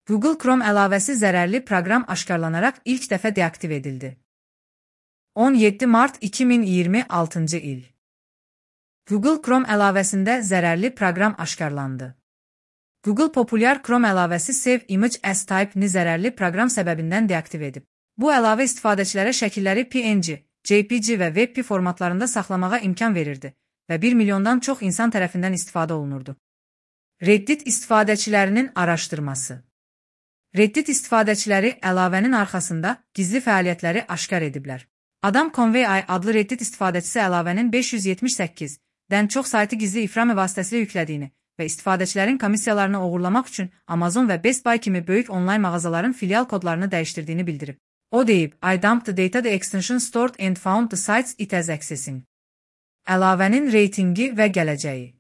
Google Chrome əlavəsi zərərli proqram aşkarlanaraq ilk dəfə deaktiv edildi. 17 mart 2026 il. Google Chrome əlavəsində zərərli proqram aşkarlandı. Google populyar Chrome əlavəsi Save Image as Type-ni zərərli proqram səbəbindən deaktiv edib. Bu əlavə istifadəçilərə şəkilləri PNG, JPG və WebP formatlarında saxlamağa imkan verirdi və 1 milyondan çox insan tərəfindən istifadə olunurdu. Reddit istifadəçilərinin araşdırması. Reddit istifadəçiləri əlavənin arxasında gizli fəaliyyətləri aşkar ediblər. Adam Conway adlı Reddit istifadəçisi əlavənin 578-dən çox saytı gizli iframe vasitəsilə yüklədiyini və istifadəçilərin komissiyalarını oğurlamaq üçün Amazon və Best Buy kimi böyük onlayn mağazaların filial kodlarını dəyişdirdiyini bildirib. O deyib, I dumped the data the extension stored and found the sites it has accessing. Əlavənin reytingi və gələcəyi.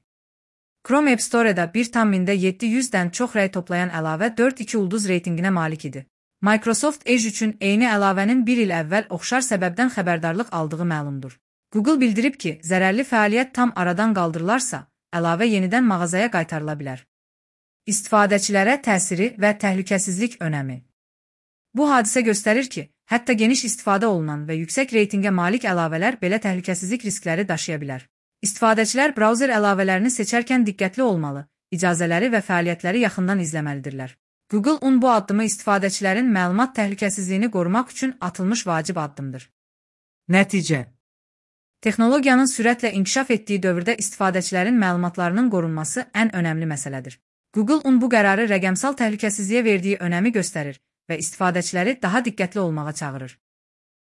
Chrome App Store-da 1,700-dən çox rəy toplayan əlavə 4.2 ulduz reytinginə malik idi. Microsoft Edge üçün eyni əlavənin 1 il əvvəl oxşar səbəbdən xəbərdarlıq aldığı məlumdur. Google bildirib ki, zərərli fəaliyyət tam aradan qaldırılarsa, əlavə yenidən mağazaya qaytarıla bilər. İstifadəçilərə təsiri və təhlükəsizlik önəmi. Bu hadisə göstərir ki, hətta geniş istifadə olunan və yüksək reytingə malik əlavələr belə təhlükəsizlik riskləri daşıya bilər. İstifadəçilər brauzer əlavələrini seçərkən diqqətli olmalı, icazələri və fəaliyyətləri yaxından izləməlidirlər. Google bu addımı istifadəçilərin məlumat təhlükəsizliyini qorumaq üçün atılmış vacib addımdır. Nəticə. Texnologiyanın sürətlə inkişaf etdiyi dövrdə istifadəçilərin məlumatlarının qorunması ən önəmli məsələdir. Google bu qərarı rəqəmsal təhlükəsizliyə verdiyi önəmi göstərir və istifadəçiləri daha diqqətli olmağa çağırır.